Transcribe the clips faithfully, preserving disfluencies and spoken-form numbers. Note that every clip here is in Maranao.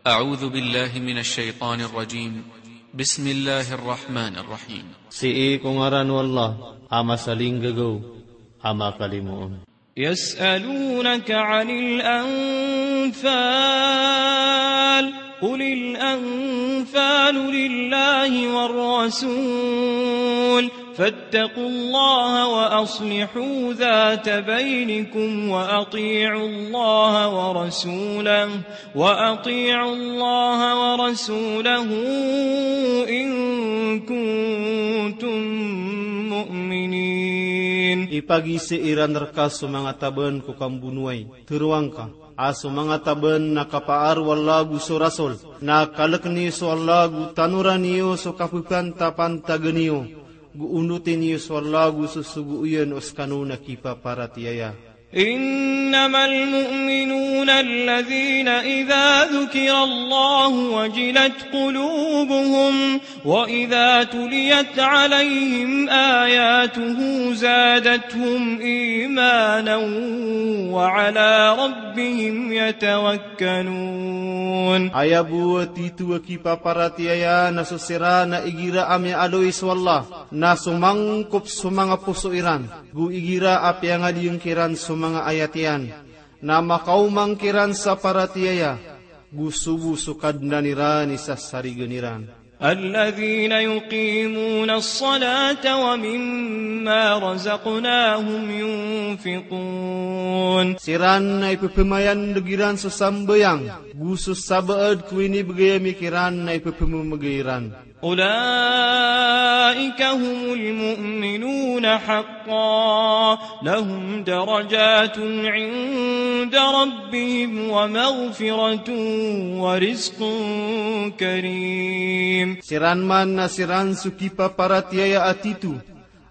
أعوذ بالله من الشيطان الرجيم. بسم الله الرحمن الرحيم. Sii ko ngaran o Allah a masalinggagaw a makalimoon. يسألونك عن الأنفال، قل الأنفال لله والرسول، فاتقوا الله وأصلحوا ذات بينكم وأطيعوا الله ورسوله، وأطيعوا الله ورسوله إن كنتم مؤمنين. Ipagizai iran rka so manga taban ko kambonowai. Tharoang ka a so manga taban na kapaar o Allah ago so Rasul, na kalkn iyo so Allah ago tanoran iyo so kapapantapantagan iyo, go onotin iyo so Allah ago so sogo iyan o skano na kipaparatiyaya. إنما المؤمنون الذين إذا ذكر الله وجلت قلوبهم وإذا تليت عليهم آياته زادتهم إيمانا وعلى ربهم يتوكلون. Aya bo a tito a kipaparatiyaya na so siran a igira a miyaaloy so Allah, na somangkop so manga poso iran, go igira a piyangaliyang kiran so manga ayat iyan, na makaoma ngkiran sa paratiyaya, go sobo so Kadnan iran i sasarigan iran. الذين يقيمون الصلاة ومما رزقناهم ينفقون. Siran na ipphmayandg iran so sambayang, go so sabaad ko inibgay ami kiran na ipphmamgay iran. أولئك هم المؤمنون حقا، لهم درجات عند ربهم ومغفرة ورزق كريم. Siran man na siran so kipaparatiyaya a tito,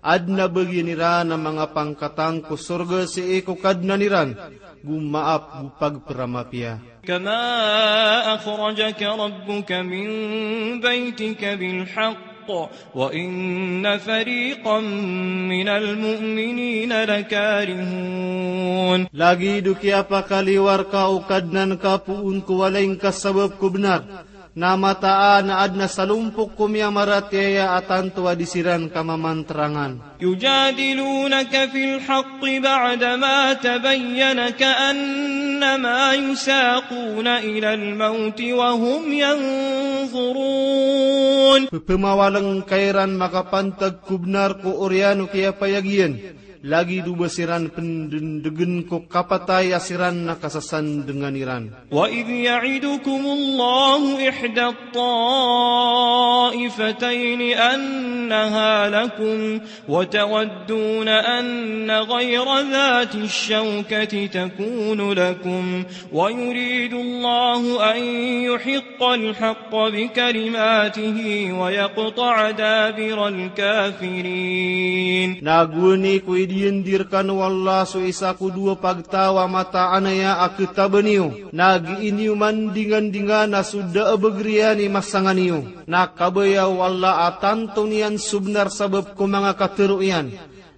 adn a bagian iran a manga pangkatan ko sorga sii ko Kadnan iran, go maap go pagpramapiya. كما أخرجك ربك من بيتك بالحق وإن فريقا من المؤمنين لكارهون. Lagid o kiyapakaliyo rka o Kadnan ka poon ko walay ngka sabap ko bnar, na mataan a adn a salompok ko miyamaratiyaya a tanto a di siran kamamantarangan. يجادلونك في الحق بعدما تبين كأنما يساقون إلى الموت وهم ينظرون. Pphmawalng ka iran makapantag ko bnar ko oriyan o kiyapayag iyan, lagid o ba siran pndndgn ko kapatay a siran na kasasandngan iran. وإذ يعدكم الله إحدى الطائفتين أنها لكم وتودون أن غير ذات الشوكة تكون لكم ويريد الله أن يحق الحق بكلماته ويقطع دابر الكافرين. Na gowani ko idiyandi rkano o Allah so isa ko dowa pagtaw a mataan aya a ktaban iyo, na gii niyo mandingandingan a so da a bgr iyan i masa ngka niyo. Na kabaya o Allah a tanto niyan so bnar sabap ko manga katharo iyan,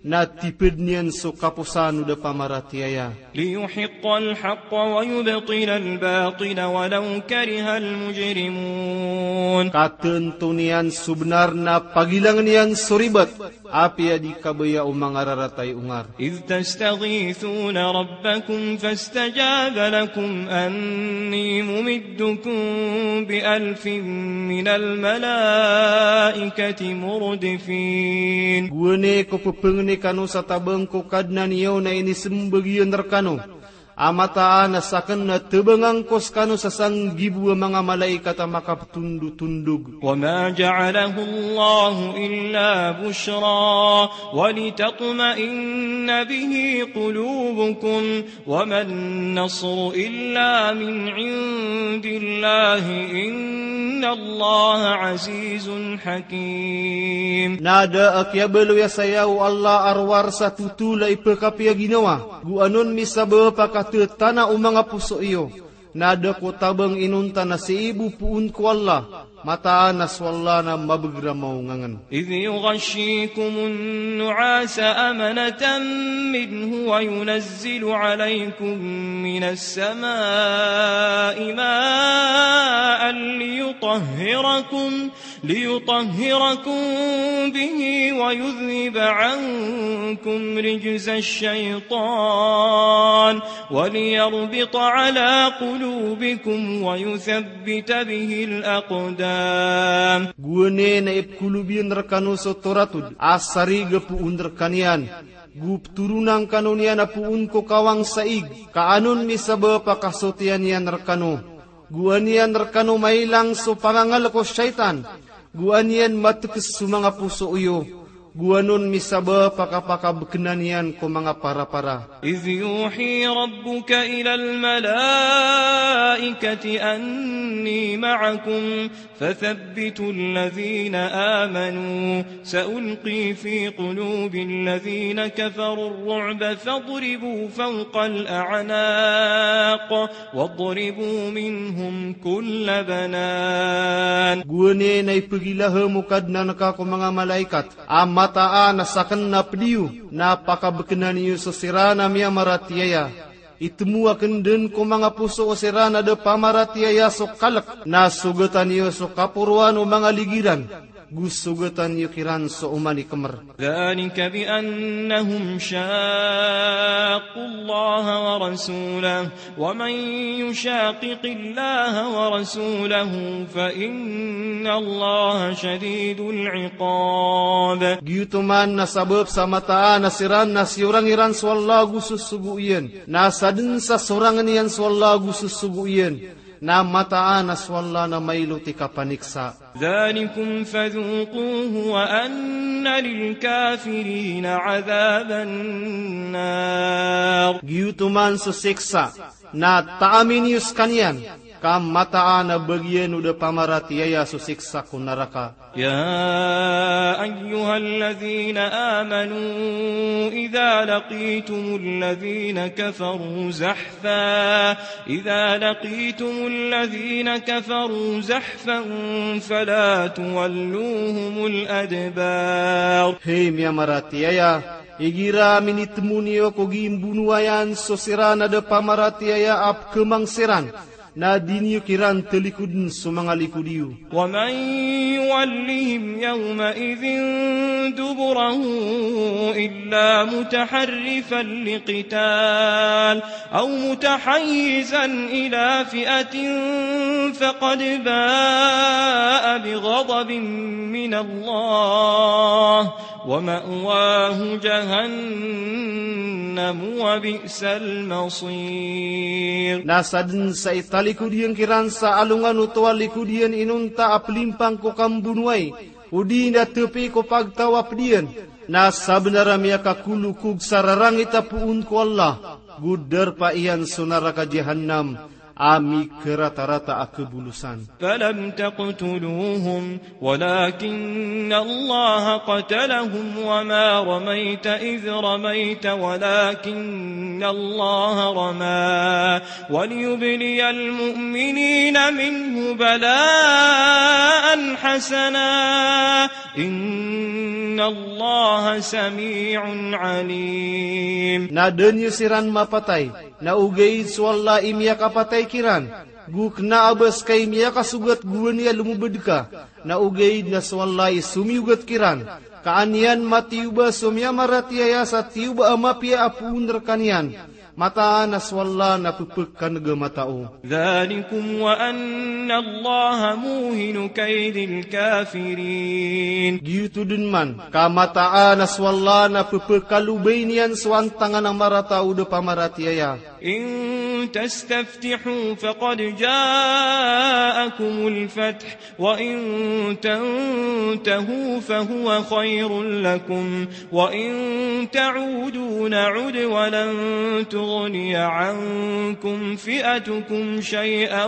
na tipd niyan so kaposan o da pamaratiyaya. ليحق الحق ويبطل الباطل ولو كره المجرمون. Ka tanto niyan so bnar na pagilangn iyan so ribat, apiya di kabaya o manga rarata i ongar. إذ تستغيثون ربكم فاستجاب لكم أني ممدكم بألف من الملائكة مردفين. Gowani ko pphangnai kano sa tabang ko Kadnan iyo na inismbag iyan rkano a mataan a sakn na tabangan ko skano sa sanggibo a manga malaikat a makaptondotondog. وما جعله الله إلا بشرى ولتطمئن به قلوبكم وما النصر إلا من عند الله إن الله عزيز حكيم. Na da a kiyabaloy a saya o Allah a rowar sa totol a ipkapiyaginawa, go anon misabap a kathatana o manga poso iyo. Na da ko tabang inonta na sii bo poon ko Allah, mataan a so Allah na mabagr a maongangn. إذ يغشيكم النعاس أمنة منه وينزل عليكم من السماء ماء ليطهركم، ليطهركم به ويذهب عنكم رجز الشيطان وليربط على قلوبكم ويثبت به الأقدام. Gowani na ipkolob iyan rekano so toratod a sarig a poon rekaniyan. Go ptoronan kano niyan a poon ko kawang sa ig, ka an on misabap a kasotiyan iyan rekano. Go an iyan rekano mailang so pangangalek o shaytan. Go an iyan matekes so manga poso iyo. Go an on misabap a kapakabekena niyan ko manga parapara. إذ يوحي ربك إلى الملائكة أني معكم فثبتوا الذين آمنوا سألقي في قلوب الذين كفروا الرعب فاضربوا فوق الأعناق واضربوا منهم كل بنان. Gowani na ipegilahem o Kadnan ka ko manga malaikat a mataan a saken na ped iyo na pakabekena niyo so siran a miyamaratiyaya. Itemo aken den ko manga poso o siran a da pamaratiyaya so kalek, na sogetan iyo so kaporoan o manga ligi ran, go sogetan iyo kiran so oman i kemer. ذلك بأنهم شاقوا الله ورسوله ومن يشاقق الله ورسوله فإن الله شديد العقاب. Giyoto man na sabap sa mataan a siran na siyorang iran so Allah go sosogo iyan. Na saden sa sorangen iyan so Allah go sosogo iyan, na mataan a so Allah na mailot i kapaniksa. ذلكم فذوقوه وأن للكافرين عذاب النار. Giyoto man so siksa, na taami niyo sekaniyan, ka mataan a bagian o da pamaratiyaya so siksa ko naraka. يا أيها الذين آمنوا إذا لقيتم الذين كفروا زحفا، إذا لقيتم الذين كفروا زحفا فلا تولوهم الأدبار. Hay miyamaratiyaya, igira minitemo niyo ko gimbonowayan so siran a da pamaratiyaya a pekemang siran, na di niyo kiran talikoden so manga likod iyo. ومن يولهم يومئذ دبره إلا متحرفا لقتال أو متحيزا إلى فئة فقد باء بغضب من الله ومأواه جهنم وبئس المصير. Na saden sa italikod iyan kiran sa alongan oto a likod iyan inonta a pelimpang ko kambonowai, odi na tapi ko pagtaw a ped iyan, na sabenar a miyakakolokog sa rarangit a poon ko Allah, go darpa iyan so naraka Jahannam a mikaratarata a kabolosan. فلم تقتلوهم ولكن الله قتلهم وما رميت إذ رميت ولكن الله رمى وليبلي المؤمنين منه بلاء حسنا إن الله سميع عليم. Na da niyo siran mapatay, na ogaid so Allah i miyakapatay kiran, go kena a ba seka i miyakasogat gowani a lomobed ka, na ogaid na so Allah i somiyogat kiran, ka an iyan matiyoba so miyamaratiyaya sa tiyoba a mapiya a poon rekaniyan, mataan a so Allah na pepekaneg a matao. ذلكم وأن الله موهن كيد الكافرين. Giyoto den man, ka mataan a so Allah na pepekalobay niyan so antangan a marata o da pamaratiyaya. إن تستفتحوا فقد جاءكم الفتح وإن تنتهوا فهو خير لكم وإن تعودوا نعد ولن تغني عنكم فئتكم شيئا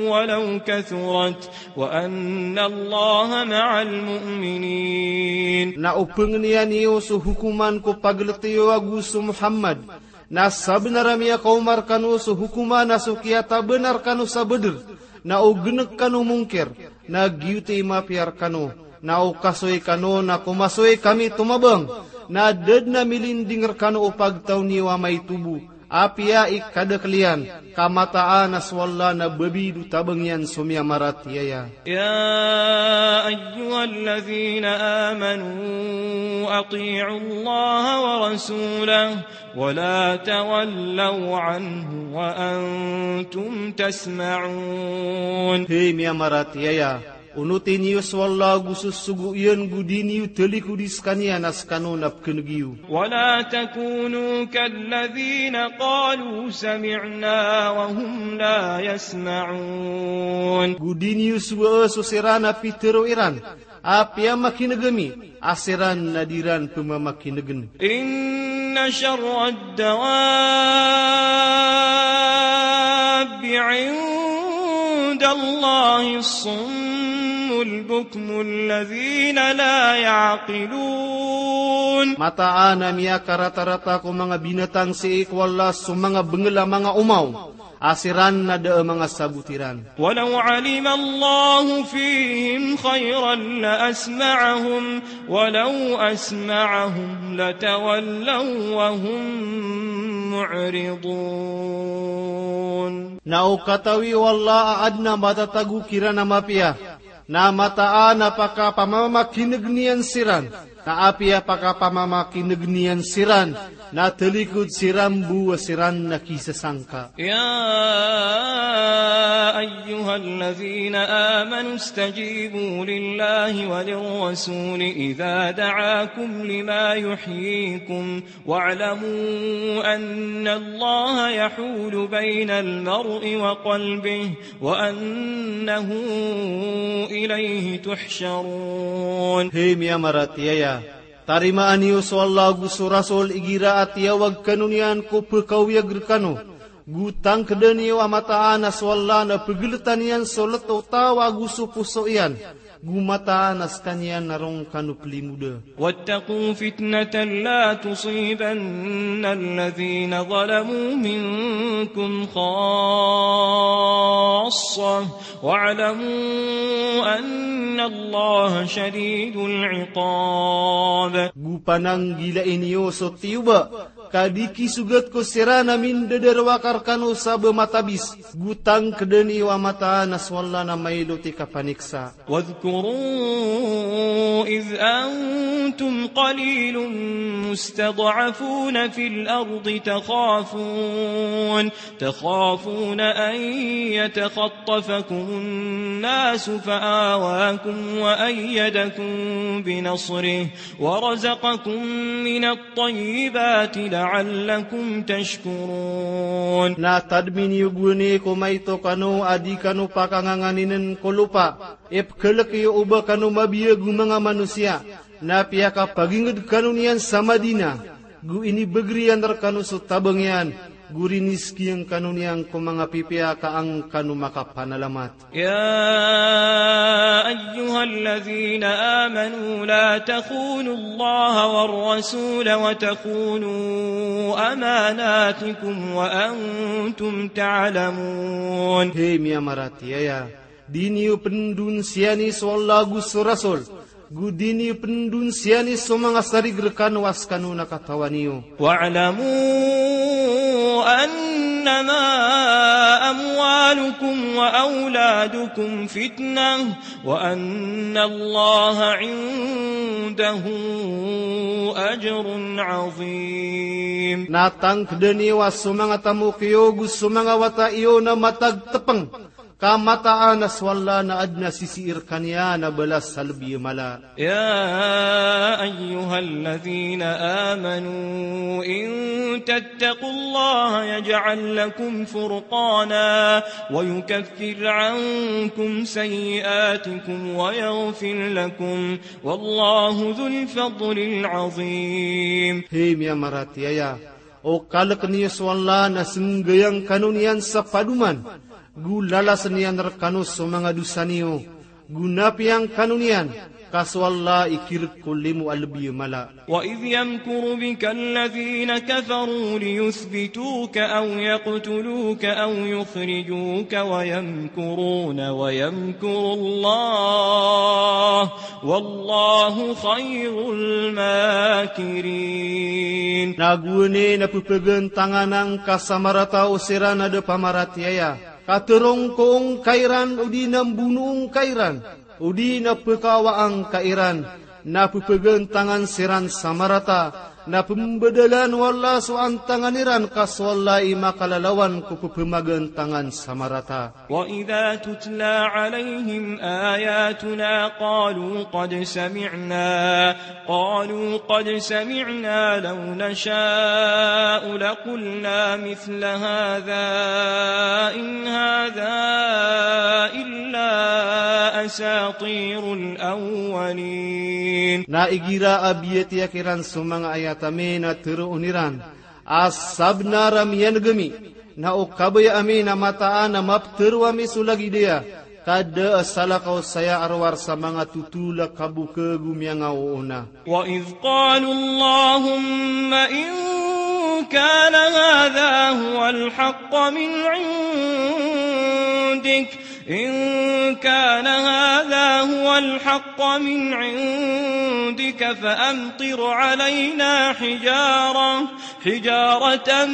ولو كثرت وأن الله مع المؤمنين. Na o pengeniyan iyo so hokoman ko pagelete iyo ago so Muhammad, na sabenar a miyakaoma rekano so hokoman a so kiyatabanan rekano sa Badr, na o genek kano mongkir, na giyoto i mapiya rekano, na o kasoy kano na komasoy kami tomabang, na da den a milinding rekano o pagtaw niyo a maitobo, Apiya i kadakl iyan, ka mataan a so Allah na babid o tabang iyan so miyamaratiyaya. يا أيها الذين آمنوا أطيعوا الله ورسوله ولا تولوا عنه وأنتم تسمعون. Hay miyamaratiyaya, onoti niyo so Allah ago so sogo iyan, go di niyo talikodi skaniyan a skano na pkneg iyo. ولا تكونوا كالذين قالوا سمعنا وهم لا يسمعون. Go di niyo sowaa so siran a pitharo iran a apiya makineg ami, a siran na di ran pmamakinegn. إن شر الدواب عند الله الصم البكم الذين لا يعقلون. Mataan a miyakaratarata ko manga binatang sii ko Allah so manga bngl a manga omaw, a siran na da a manga sabot iran. ولو علم الله فيهم خيرا لأسمعهم ولو أسمعهم لتولوا وهم معرضون. Na o katawi o Allah a adn a matatago kiran a mapiya, na mataan a pakapamamakineg iyan siran, na apiya pakapamamakineg iyan siran, na talikod siran bo a siran na kisasangka. يا أيها الذين آمنوا استجيبوا لله وللرسول إذا دعاكم لما يحييكم واعلموا أن الله يحول بين المرء وقلبه وأنه إليه تحشرون. Hay miyamaratiyaya, tarimaan iyo so Allah ago so Rasul igira a tiyawag kano niyan ko pkawiyag rkano, go tangkdn iyo a mataan a so Allah na pgltan iyan so lto o taw ago so poso iyan, go mataan a skaniyan na roo kano plimoda. واتقوا فتنة لا تصيبن الذين ظلموا منكم خاصة واعلموا أن الله شديد العقاب. Go pananggilai niyo so tiyoba, ka di kisogat ko siran a mindadarowaka rkano sa ba matabis, go tangkdn iyo a mataan a so Allah na mailot i kapaniksa. واذكروا إذ أنتم قليل مستضعفون في الأرض تخافون، تخافون أن يتخطفكم الناس فآواكم وأيدكم بنصره ورزقكم من الطيبات لعلكم تشكرون. Na tadmi niyo gowani ko maito kano a di kano pakanganganinen ko lopa, ipkhalk iyo o ba kano mabiyag o manga manosiya, na piyakapagingd kano niyan sa Madina, go inibagr iyan rkano so tabang iyan, go rinizki iyan kano niyan ko manga pipiya ka an kano makapanalamat. يا أيها الذين آمنوا لا تخونوا الله والرسول وتخونوا أماناتكم وأنتم تعلمون. Hay miyamaratiyaya, di niyo pndonsiyani so Allah ago so Rasul, go di niyo pndonsiyani so manga sarig rkano a skano na katawan iyo. واعلموا أنما أموالكم وأولادكم فتنة وأن الله عنده أجر عظيم. Na tangkdn iyo a so manga tamok iyo go so manga wata iyo na matag tpng, ka mataan a so Allah na adn a sisii rkaniyan a balas a lbi a mala. يا أيها الذين آمنوا إن تتقوا الله يجعل لكم فرقانا ويكفر عنكم سيئاتكم ويغفر لكم والله ذو الفضل العظيم. Hay miyamaratiyaya, o kalk niyo so Allah na senggayang kano niyan sa padoman, go lalasn iyan rkano so manga dosa niyo, Go na piyangkano niyan, ka so Allah i kirek ko limo a lebi a mala. وإذ يمكر بك الذين كفروا ليثبتوك أو يقتلوك أو يخرجوك ويمكرون ويمكر الله والله خير الماكرين. Na gowani na pepegantangan angka sa marata o siran a da pamaratiyaya, ka tero ngka on ka iran odi na mbono ngka iran, odi na pekawa angka iran, na pepegantangan siran sa marata, na pembadalan o Allah so antangan iran, ka so Allah i makalalawan ko pepemagantangan sa marata. وإذا تتلى عليهم آياتنا قالوا قد سمعنا، قالوا قد سمعنا لو نشاء لقلنا مثل هذا إن هذا إلا أساطير الأولين. Na igira a biyatiya kiran so manga ayat ami na teroon iran a sabenar a miyaneg ami, na o kabaya ami na mataan a mapetero ami so lagid aya, ka da a salakaw saya a rowar sa manga totol a kabokeg o miyangaoona. وإذ قالوا اللهم إن كان هذا هو الحق من عندك إن كان هذا هو الحق من عندك فأمطر علينا حجارة، حجارة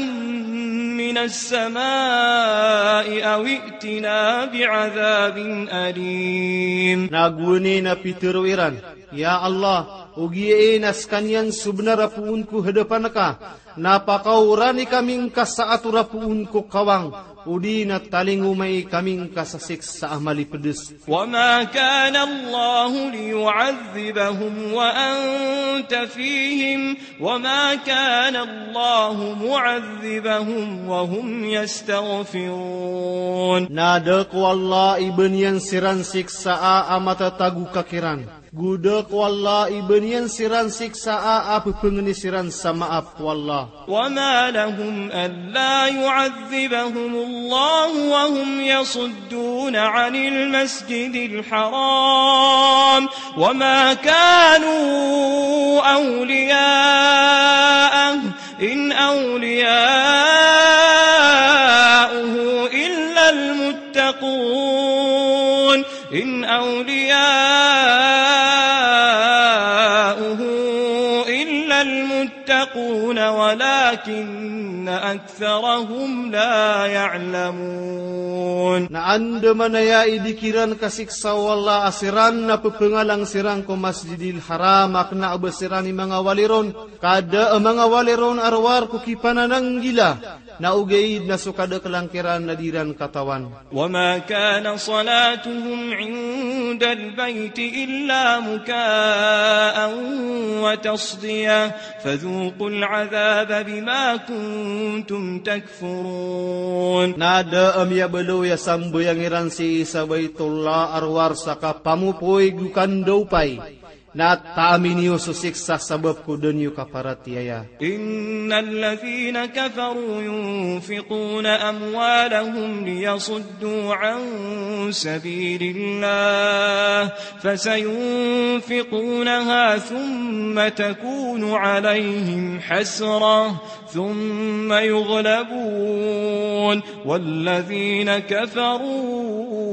من السماء أو ائتنا بعذاب أليم. Na gowani na pitero iran, Ya Allah, ogaid na sekaniyan so benar a poon ko hadapan ka, na pakaorani kami ngka sa ator a poon ko kawang, odi na talingomai kami ngka sa siksa a malipedes. وما كان الله ليعذبهم وأنت فيهم وما كان الله معذبهم وهم يستغفرون. Na da ko Allah i ba niyan siran siksaa a matatago ka kiran. Go da ko Allah i ba niyan siran siksaa a pepengeni siran sa maap ko Allah. وما لهم ألا يعذبهم الله وهم يصدون عن المسجد الحرام وما كانوا أولياءه إن أولياؤه إلا المتقون إن أولياؤه إلا المتقون ولكن أكثرهم لا يعلمون. Na andamanaya i di kiran kasiksa o Allah a siran na pepengalang siran ko Masjidil Haram a kena a ba siran i manga wali ron, ka da a manga wali ron a rowar ko kipanananggila, na ogaid na so kadakelan kiran na di ran katawan. وما كان صلاتهم عند البيت إلا مكاء وتصدية فذوقوا العذاب بما كنتم تكفرون. Na da a miyabaloy a sambayang iran sii sa Baitullah a rowar sa kapamopoy go kandaopay. Na taami niyo so siksa sabap ko da niyo kaparatiyaya. إن الذين كفروا ينفقون أموالهم ليصدوا عن سبيل الله فسينفقونها ثم تكون عليهم حسرة ثم يغلبون والذين كفروا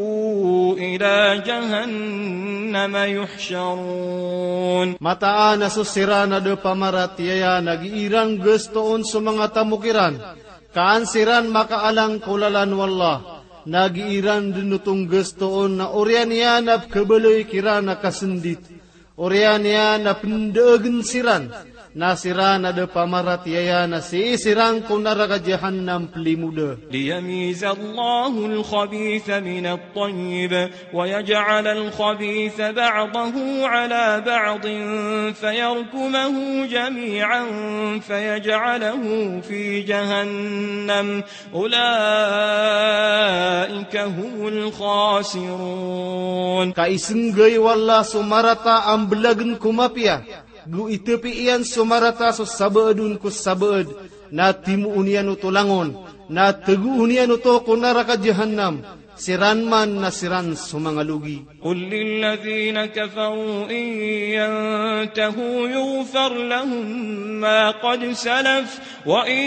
إلى جهنم يحشرون. Mataan a so siran a da pamaratiyaya na gii ran gastoon so manga tamok iran, ka an siran makaalang ko lalan o Allah, na gii ran den oto nggastoon na oriyan iyan a pekhabaloy kiran a kasendit. Oriyan iyan a pendaagen siran, na siran a da pamaratiyaya na sii siran ko naraka Jahannam pelimoda. ليميز الله الخبيث من الطيب ويجعل الخبيث بعضه على بعض فيركمه جميعا فيجعله في جهنم أولئك هم الخاسرون. Ka isenggay o Allah so marata a mbelagen ko mapiya, go itepi iyan so marata so sabaad on ko sabaad, na timoon iyan oto langon, na tegoon iyan oto ko naraka Jahannam, Siran man na siran so manga logi. قل للذين كفروا إن ينتهوا يغفر لهم ما قد سلف وإن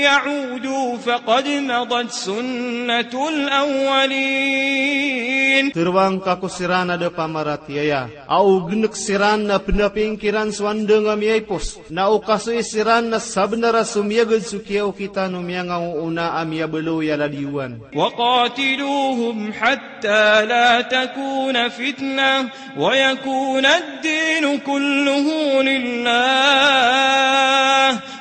يعودوا فقد مضت سنة الأولين. Tero angka ko siran a da pamaratiyaya a o genek siran na penaping kiran so andang a miyaipos, na o kasoy siran na sabenar a so miyagad so kiyaokitan o miyangaoona a miyabaloy a ladiyowan. وقاتلوهم حتى لا تكون فتنة ويكون الدين كله لله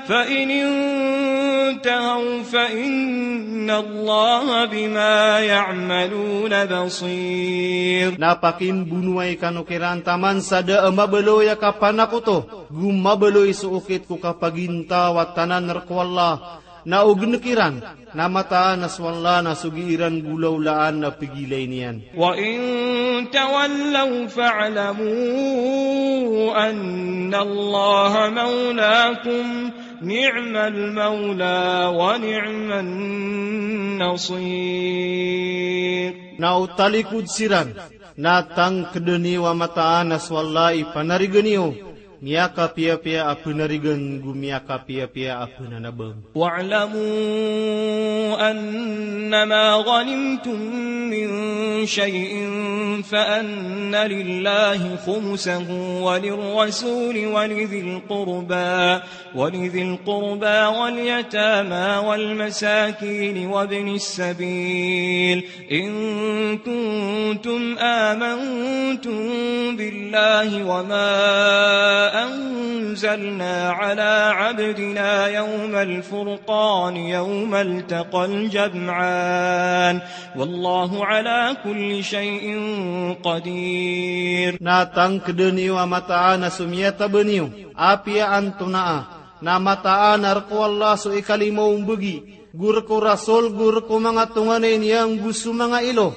فإن انتهوا فإن الله بما يعملون بصير. Na pakimbonoay kano kiran taman sa da a mabaloy a kapanakoto, go mabaloy so okit ko kapagintaw a tanan rek o Allah, na o genek iran, na mataan a so Allah na so gii ran golawlaan a pegilay niyan. وإن تولوا فاعلموا أن الله مولاكم نعم المولى ونعم النصير. Na o talikod siran, na tangkeden iyo a mataan a so Allah i panarigan iyo, miyakapiyapiya a penarigan go miyakapiyapiya a penanabang. واعلموا أنما غنمتم من شيء فأن لله خمسه وللرسول ولذي القربى ولذي القربى واليتامى والمساكين وابن السبيل إن كنتم آمنتم بالله وما أنزلنا على عبدنا يوم الفرقان يوم التقى الجمعان والله على كل شيء قدير. Na tangkeden iyo a mataan a so miyataben iyo, apiya antonaa, na mataan a rek o Allah so ikalima o mbegi, go rek o Rasul, go rek o manga tonganay niyan, go so manga ilo,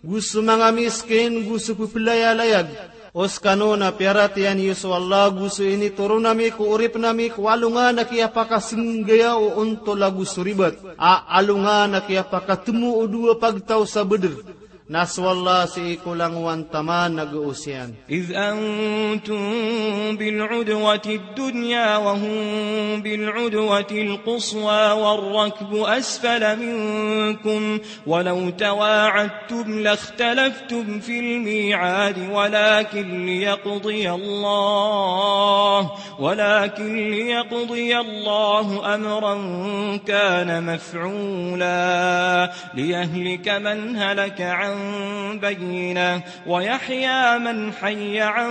go so manga miskin, go so pepelayalayag. O sekano na piyaratiyaya niyo so Allah, go so initoron ami ko oripen ami ko alongan a kiyapakasenggaya o ontol ago so ribat, a alongan a kiyapakatemo o dowa pagtaw sa Badr. Na so Allah sii ko langowan taman a gaos iyan. إذ أنتم بالعدوة الدنيا وهم بالعدوة القصوى والركب أسفل منكم ولو تواعدتم لاختلفتم في الميعاد ولكن ليقضي الله ولكن ليقضي الله أمرا كان مفعولا ليهلك من هلك عن بينة ويحيى من حي عن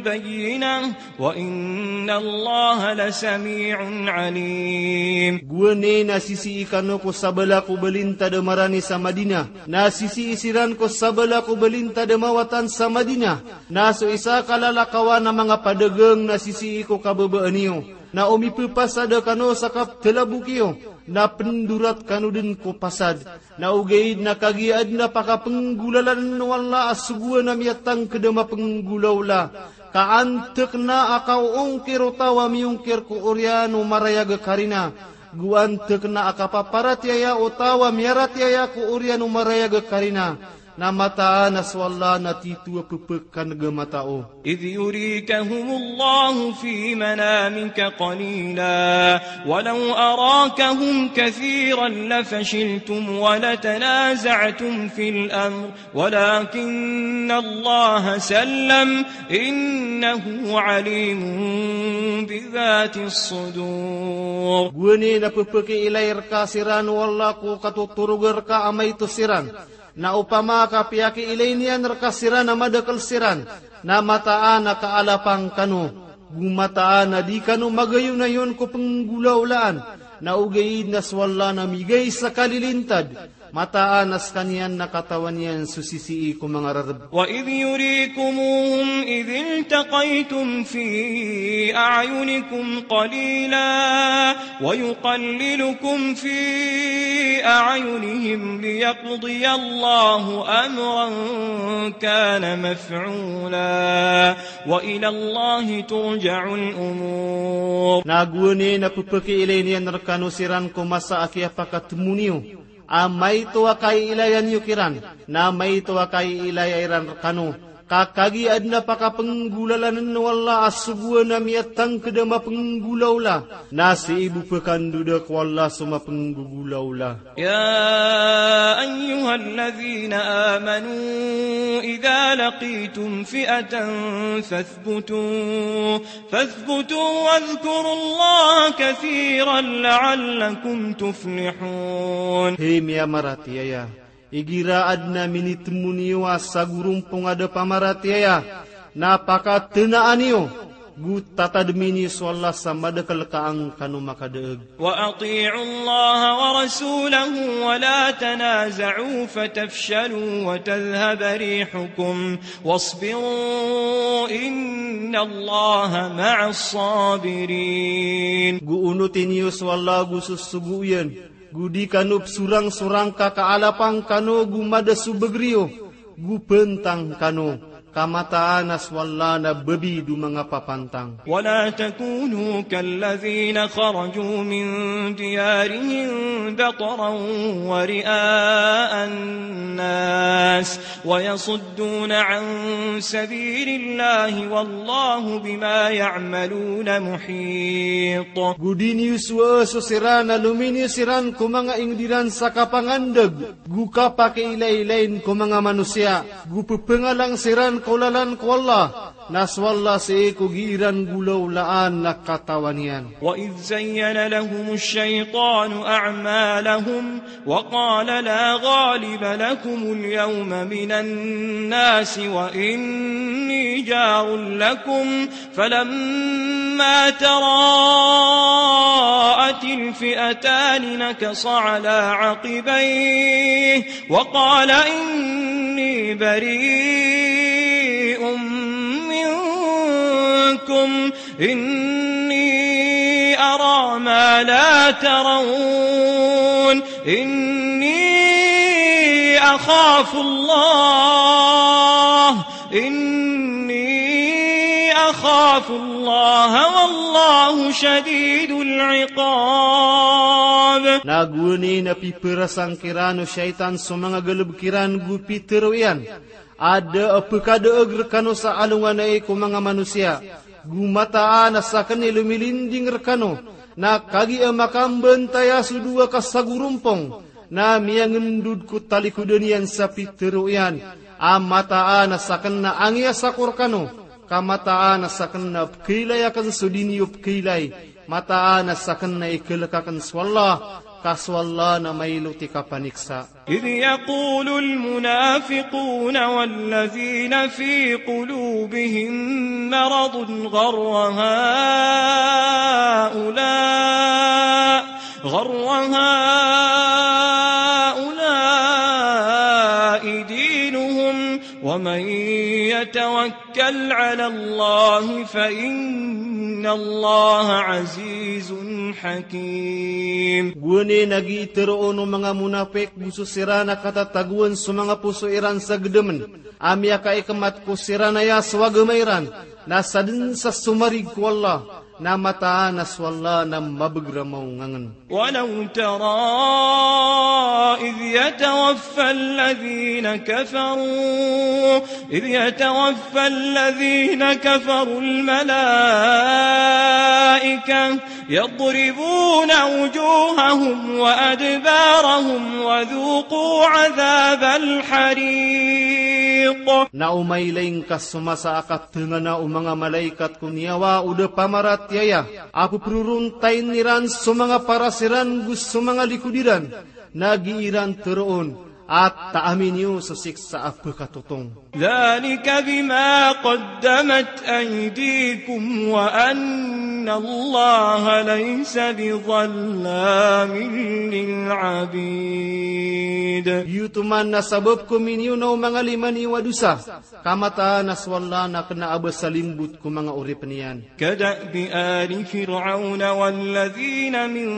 بينة وإن الله لسميع عليم. Gowani na sisii kano ko sabala ko balintad a marani sa Madinah, na sisii siran ko sabala ko balintad a mawatan sa Madinah, na so isa ka lalakawan a manga padagang na sisii ko kababaan iyo, na o mipepasad kano sa kaptalabok iyo, na pendorat kano den ko pasad. Na ogaid na kagiya aden a pakapenggolalan o Allah a sogoan a miyatangked a mapenggolawla, ka antek na a kaoongkir o taw a miyongkir ko oriyan o marayag a karina, go antek na a kapaparatiyaya o taw a miyaratiyaya ko oriyan o marayag a karina. Na mataan a so Allah na tito a pepekaneg a matao. إذ يريكهم الله في منامك قليلا ولو أراكهم كثيرا لفشلتم ولتنازعتم في الأمر ولكن الله سلم إنه عليم بذات الصدور. Gowani na pepekiilay reka siran o Allah ko katotoroga reka a maito siran. Na opama ka piyakiilay niyan reka siran a madakel siran, na mataan a kaalapang kano, go mataan a di kano magayonayon ko penggolawlaan, na ogaid na so Allah na migay sa kalilintad, mataan a sekaniyan na katawan iyan so sisii ko manga rereb. وإذ يريكموهم إذ التقيتم في أعينكم قليلا ويقللكم في أعينهم ليقضي الله أمرا كان مفعولا وإلى الله ترجع الأمور. Na gowani na pepekiilay niyan rekano siran ko masa a kiyapakatemo niyo a maito a kaiilayan iyo kiran, na maito a kaiilaya iran rkano. Ka kagiya adn a pakapnggolalan o Allah a sogoan a miyatangkd a mapnggolaola, na sii bo pkandodn ko Allah so mapnggolaola. يا أيها الذين آمنوا إذا لقيتم فئة فاثبتوا، فاثبتوا واذكروا الله كثيرا لعلكم تفلحون. Hay miyamaratiyaya, igira adn a minitmo niyo a sagorompong a da pamaratiyaya, na pakatnaan iyo, go tatadmi niyo so Allah sa madakl ka an kano makadaag. وأطيعوا الله ورسوله ولا تنازعوا فتفشلوا وتذهب ريحكم واصبروا إن الله مع الصابرين. Go onoti niyo so Allah go so sogo iyan, go di kano psorangsorang ka kaalapan kano go mada so bagr iyo, go pantang kano, ka mataan a so Allah na babido manga papantang. ولا تكونوا كالذين خرجوا من ديارهم بطرا ورئاء الناس ويصدون عن سبيل الله والله بما يعملون محيط. Go di niyo sowaa so siran a lominiyo siran ko manga ingd iran sa kapangandag, go kapakiilaylayin ko manga manosiya, go ppangalang siran ko lalan ko Allah, na so Allah sii ko gii ran golaolaan na katawan iyan. وإذ زين لهم الشيطان أعمالهم وقال لا غالب لكم اليوم من الناس وإني جار لكم فلما تراءت الفئتان نكص على عقبيه وقال إني بريء منكم إني أرى ما لا ترون إني أخاف الله إني أخاف الله والله شديد العقاب. Na gowani na piperasang kiran o shaytan so manga galbk iran go pitero iyan a da a pkadaag rkano sa alongan ai ko manga manosiya, go mataan a saken i lomilinding rkano, na kagiya makambantaya so dowa ka sagorompong, na miyangendod ko talikodan iyan sa pitero iyan, a mataan a saken na angiya sako rkano, ka mataan a saken na pkailay aken so di niyo pkailay, mataan a saken na ikalek aken so Allah, ka so Allah na mailot i kapaniksa. إذ يقول المنافقون والذين في قلوبهم مرض غر هؤلاء، غر هؤلاء دينهم، ومن يتوكل على الله فإن الله عزيز حكيم. Gowani na gii teroon o manga monapik go so siran a katatagoan so manga poso iran sa gedemen a miyakaikemat ko siran aya so agama iran, na saden sa somarig ko Allah, na mataan a so Allah na mabeger a maongangen. ولو ترى إذ يتوفى الذين كفروا، إذ يتوفى الذين كفروا الملائكة يضربون وجوههم وأدبارهم وذوقوا عذاب الحريق. Na o mailay ngka so masa a katengana o manga malaikat ko niyawa o da pamaratiyaya, a peperorontayin iran so manga paras iran go so manga likod iran, na gii ran teroon a taami niyo so siksa a pekatotong. ذلك بما قدمت أيديكم وأن الله ليس بظلام للعبيد. Giyoto man na sabap ko miniyonaw manga lima niyo a dosa, ka mataan a so Allah na kena a ba sa limbot ko manga oripen iyan. كدأب آل فرعون والذين من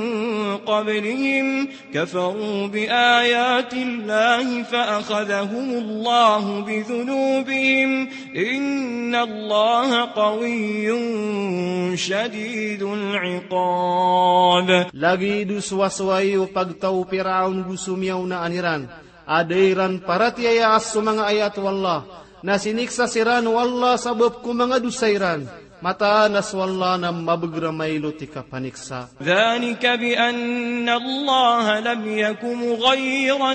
قبلهم كفروا بآيات الله فأخذهم الله بذنوبهم ذنوبهم إن الله قوي شديد العقاب. Lagid o sowasoway o pagtaw o Firaon go so miyaonaan iran a da iran paratiyaya a so manga ayat o Allah, na siniksa siran o Allah sabap ko manga dosa iran. Mataan a so Allah na mabagr a mailot i kapaniksa. ذلك بأن الله لم يك مغيرا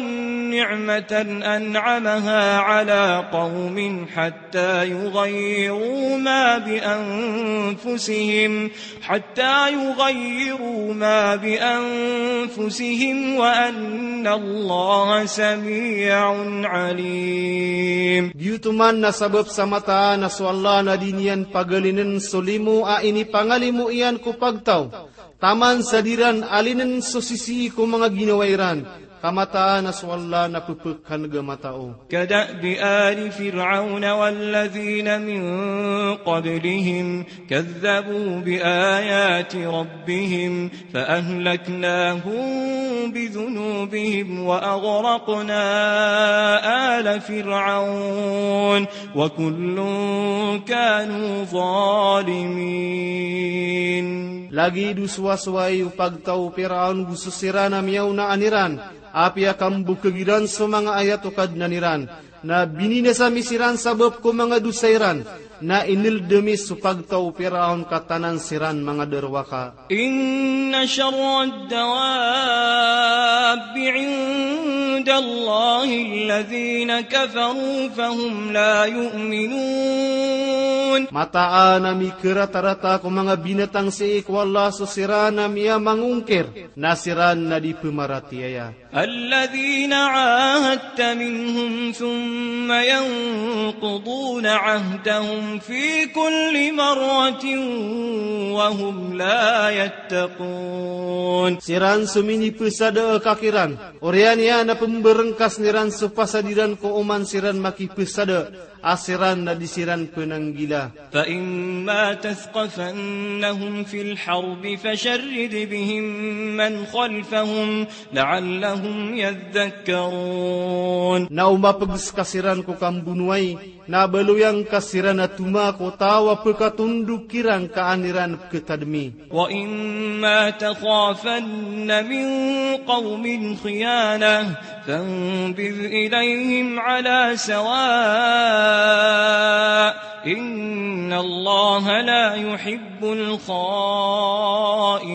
نعمة أنعمها على قوم حتى يغيروا ما بأنفسهم، حتى يغيروا ما بأنفسهم وأن الله سميع عليم. Giyoto man na sabap sa mataan a so Allah na di niyan pagalinen so limo a inipangalimo iyan ko pagtaw, taman sa di ran alinen so sisii ko manga ginawa iran, ka mataan a so Allah na pphkan'g a matao. كدأب آل فرعون والذين من قبلهم كذبوا بآيات ربهم فأهلكناهم بذنوبهم وأغرقنا آل فرعون وكل كانوا ظالمين. Lagid o sowasoway o pagtaw o Firaon go so siran a miyaonaan iran, apiya kambokhag iran so manga ayat o Kadnan iran, na bininasa mi siran sabap ko manga dosa iran, na inldm i so pagtaw o Firaon ka tanan siran manga darowaka. إن شر الدواب عند الله الذين كفروا فهم لا يؤمنون. Mataan a mikaratarata ko manga binatang sii ko Allah so siran a miyamangongkir, na siran na di pmaratiyaya. الذين عاهدت منهم ثم ينقضون عهدهم في كل مرة وهم لا يتقون. Siran so minipesada ka kiran, oriyan iyan a pemberengkas iran so pasad iran ko oman siran makipesada, a siran na di siran penanggila. فإما تثقفنهم في الحرب فشرد بهم من خلفهم لعلهم يذكرون. Na o mapeg ska siran ko kambonowai, na baloy angka siran a toma ko taw a pekatondog kiran ka an iran peketadmi. وإما تخافن من قوم خيانة فانبذ إليهم على سواء إن الله لا يحب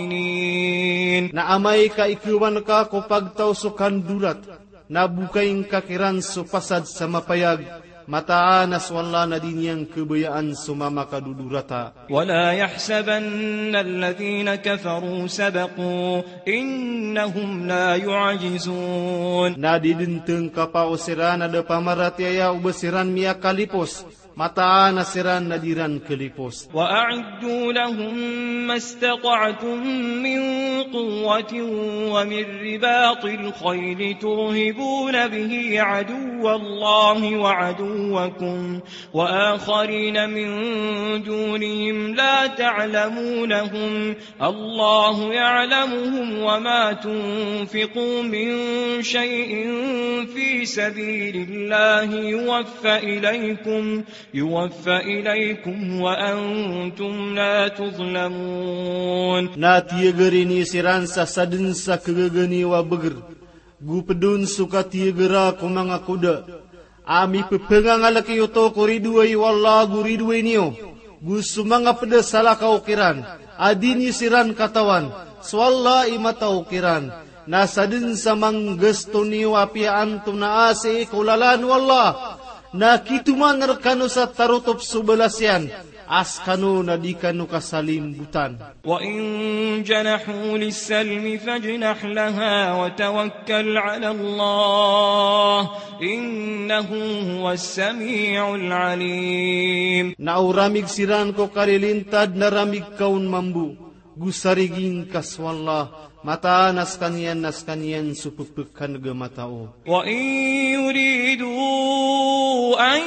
الخائنين. Na amay ka ikewan ka ko pagtaw so kandorat, na bokay ngka kiran so pasad sa mapayag, mataan a so Allah na di niyan kebayaan so mamakadodorata. ولا يحسبن الذين كفروا سبقوا إنهم لا يعجزون. Na di den tengkapa o siran a da pamaratiyaya o ba siran miyakalipos, mataan a siran na di ran kalipos. وأعدوا لهم ما استطعتم من قوة ومن رباط الخيل ترهبون به عدو الله وعدوكم وآخرين من دونهم لا تعلمونهم الله يعلمهم وما تنفقوا من شيء في سبيل الله يوف إليكم يوف إليكم وأنتم لا تظلمون. Na tiyagari niyo siran sa sadn sa kagagani wa bagr, go pd on so katiyagara ko manga koda a mipepengangalek iyo oto ko ridoay o Allah go ridoay niyo, go so manga pd a salakaw kiran a di niyo siran katawan, so Allah i mataw kiran. Na sadn sa manggasto niyo apiya antonaa sii ko lalan o Allah, na kitoman rkano sa tarotop so balas iyan, a skano na di kano kasalimbotan. وإن جنحوا للسلم فاجنح لها وتوكل على الله إنه هو السميع العليم. Na o ramig siran ko karilintad na ramig ka on mambo, go sarigi ngka so Allah, mataan a skaniyan na skaniyan so pphkan'g a matao. وإن يريدوا أن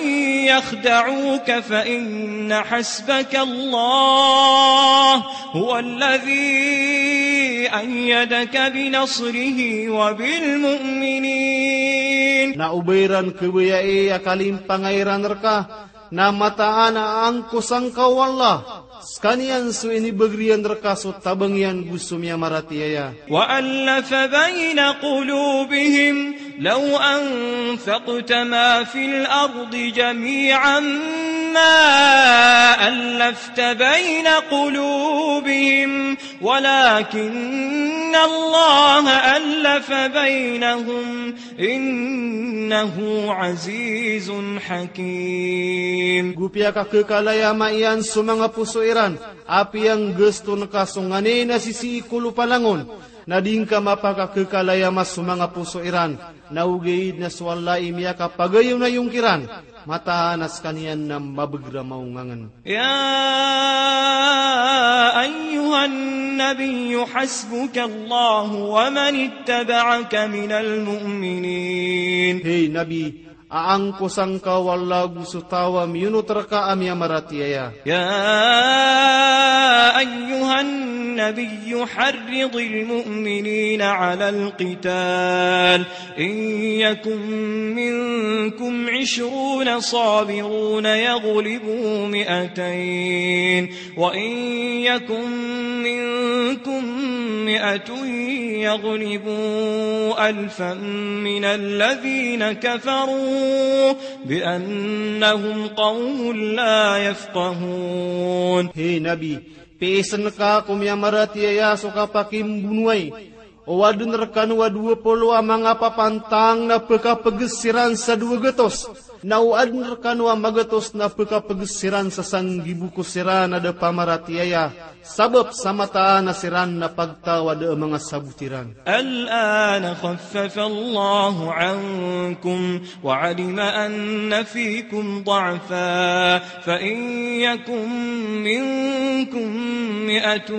يخدعوك فإن حسبك الله هو الذي أيدك بنصره وبالمؤمنين. Na o ba iran khabayai a kalimpangay iran rka, na mataan a angkosa ngka o Allah, skaniyan so inibagr iyan rka so tabang iyan go so miyamaratiyaya. وألف بين قلوبهم لو أنفقت ما في الأرض جميعا ما ألفت بين قلوبهم ولكن الله ألف بينهم إنه عزيز حكيم. Go piyakakhakalay a ama iyan so manga poso iran, apiya nggaston ka so nganin a sisii ko lopa langon, na di ngka mapakakhakalay a ama so manga poso iran, na ogaid na so Allah i miyakapagayonayon kiran, mataan a skaniyan na mabagr a maongangn. يا أيها النبي حسبك الله ومن اتبعك من المؤمنين. Hey Nabi, a angkosa ngka o Allah go so taw a miyonot rka a miyamaratiyaya. يا أيها النبي حرض المؤمنين على القتال إن يكن منكم عشرون صابرون يغلبوا مائتين وإن يكن منكم مائة يغلبوا ألفا من الذين كفروا بأنهم قوم لا يفقهون. Hey Nabi, piisn ka ko miyamaratiyaya so kapakimbonowai. O adn rkano a dowa polo a manga papantang na pkapgs siran sa dowa gatos, na o adn rkano a magatos na pkapgs siran sa sanggibo ko siran a da pamaratiyaya, sabap sa mataan a siran na pagtaw a da a manga sabot iran. الآن خفف الله عنكم وعلم أن فيكم ضعفا فإن يكن منكم مائة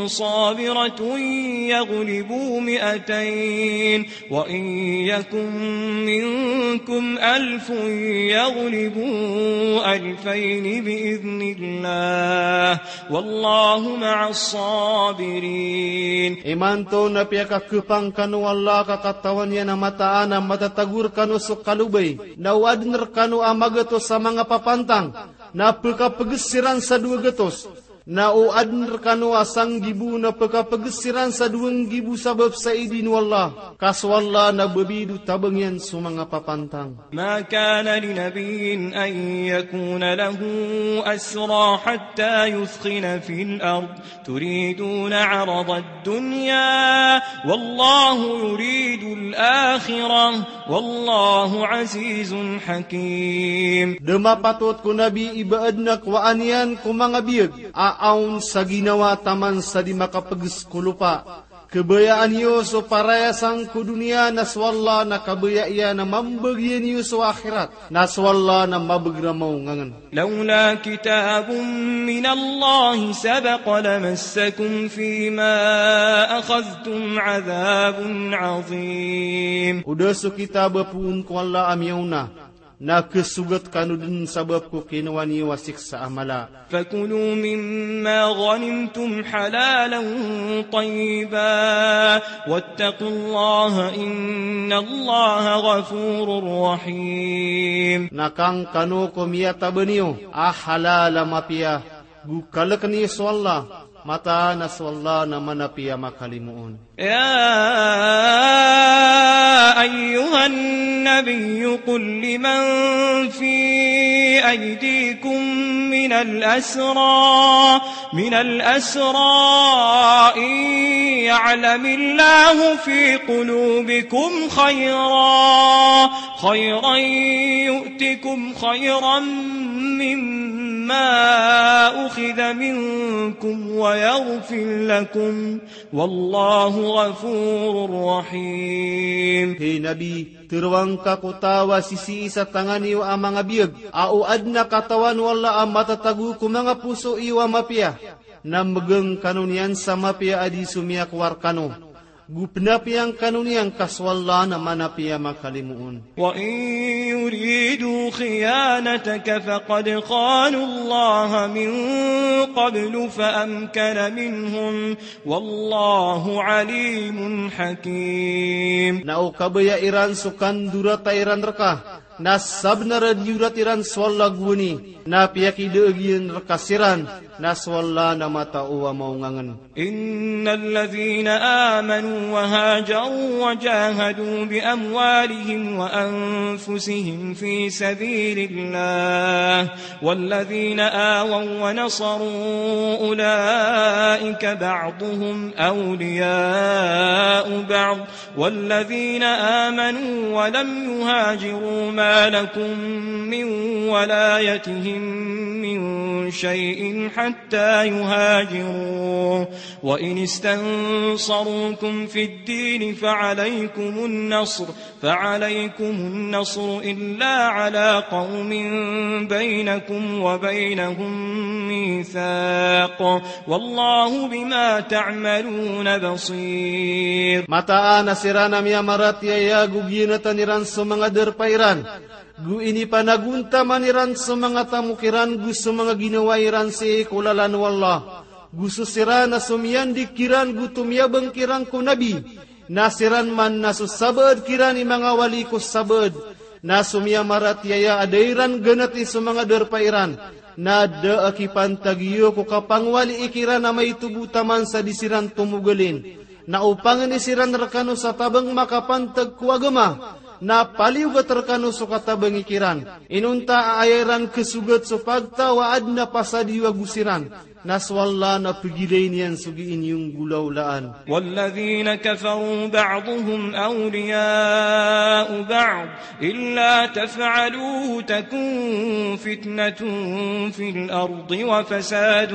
صابرة يغلبوا مائتين وإن يكن منكم ألف يغلبوا ألفين بإذن الله والله مع الصابرين. Imanto na piyakakhapang kano o Allah ka katawan iyan a mataan a matatago rkano so kalobay, na o adn rkano a magatos a manga papantang na pkapgs siran sa dowa gatos, na o adn rkano a sanggibo na pkapgs siran sa dowa nggibo sabap sa idin o Allah, ka so Allah na babid o tabang iyan so manga papantang. ما كان لنبي أن يكون له أسرى حتى يثخن في الأرض تريدون عرض الدنيا والله يريد الآخرة والله عزيز حكيم. Da mapatot ko Nabi i ba adn a kowaan iyan ko manga biyag a aon sa ginawa taman sa di makapgs ko lopa. Kabayaan iyo so parayasang ko doniya na so Allah na kabaya iyan a mambagian iyo so akhirat, na so Allah na mabagr a maongangn. لولا كتاب من الله سبق لمسكم فيما أخذتم عذاب عظيم. O da so kitab a poon ko Allah a miyaona, na khasogat kano dn sabap ko kinowa niyo a siksa a mala. فكلوا مما غنمتم حلالا طيبا واتقوا الله إن الله غفور رحيم. Na kangkano ko miyataban iyo a halal a mapiya, go kalkn iyo so Allah, mataan a so Allah na manapiya makalimoon. يا أيها النبي قل لمن في أيديكم من الأسرى، من الأسرى إن يعلم الله في قلوبكم خيرا، خيرا يؤتكم خيرا مما أخذ منكم ويغفر لكم والله غفور رحيم. Hey Nabi, tharoang ka ko taw a sisii sa tangan iyo a manga biyag a o adn a katawan o Allah a matatago ko manga poso iyo a mapiya, na mgng kano niyan sa mapiya a di so miyakowa rkano. Go pnapiya ngka on iyan ka so Allah na manapiya makalimoon. وإن يريدوا خيانتك فقد خانوا الله من قبل فأمكن منهم والله عليم حكيم. Na o kabaya iran so kandorata iran rka, na sabnar a diyorat iran so Allah gowani, na piyakidaag iyan rka siran, na so Allah na matao a maongangn. إن الذين آمنوا وهاجروا وجاهدوا بأموالهم وأنفسهم في سبيل الله والذين آووا ونصروا أولئك بعضهم أولياء بعض والذين آمنوا ولم يهاجروا ما لكم من ولايتهم من شيء حتى يهاجروا وإن استنصروكم في الدين فعليكم النصر فعليكم النصر إلا على قوم بينكم وبينهم ميثاق والله بما تعملون بصير. Mataan a siran a miyamaratiyaya go giyanatan iran so manga darpa iran, go inipanagontaman iran so manga tamok iran go so manga ginawa iran sii ko lalan o Allah, go so siran a somiyandig kiran go tomiyabang kiran ko Nabi, na siran man na so sabaad kiran i manga wali ko sabaad, na so miyamaratiyaya a da iran ganati so manga darpa iran, na da a kipantagi iyo ko kapangwalii kiran a maito bo taman sa di siran tomogalin. Na opama i siran rkano sa tabang makapantag ko agama, na paliyogat rkano so katabangi kiran. Inonta a aya iran kasogat so pagtaw a adn a pasad iyo ago siran, na so Allah na pgilay niyan so gii niyo nggolawlaan. والذين كفروا بعضهم أولياء بعض إلا تفعلوه تكن فتنة في الأرض وفساد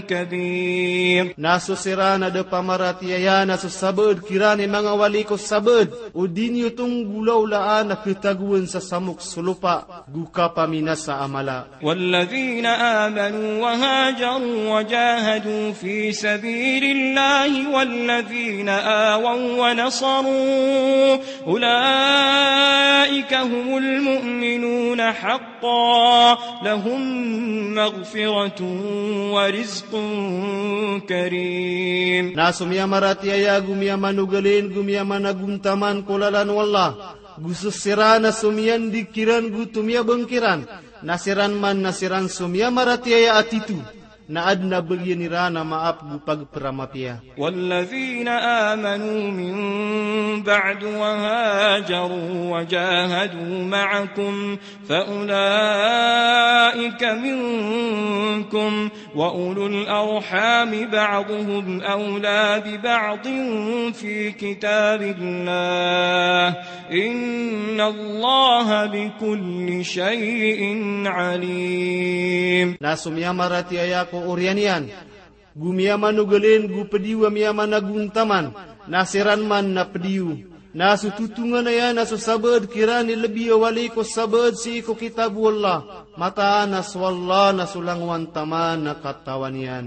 كبير. Na so siran a da pamaratiyaya na so sabaad kiran i manga wali ko sabaad, o di niyo to nggolawlaan a khatagoan sa samok so lopa go kapaminasa a mala. والذين آمنوا وهاجروا وجاهدوا في سبيل الله والذين آووا ونصروا أولئك هم المؤمنون حقا لهم مغفرة ورزق كريم. Na so miyamaratiyaya go miyamanogalin go miyamanagontaman ko lalan o Allah, go so siran a somiyandig kiran go tomiyabang kiran, na siran man na siran so miyamaratiyaya a tito, na adn a bagian iran a maap go pagpramapiya. والذين آمنوا من بعد وهاجروا وجاهدوا معكم فأولئك منكم وأولو الأرحام بعضهم أولى ببعض في كتاب الله إن الله بكل شيء عليم. Na so miyamaratiyaya ko oriyan iyan, go miyamanogalin go pd iyo a miyamanagontaman, na siran man na pd iyo. Na so totonganaya na so sabaad kiran i lbi a wali ko sabaad sii ko kitab o Allah, mataan a so Allah na so langowan taman a katawan iyan.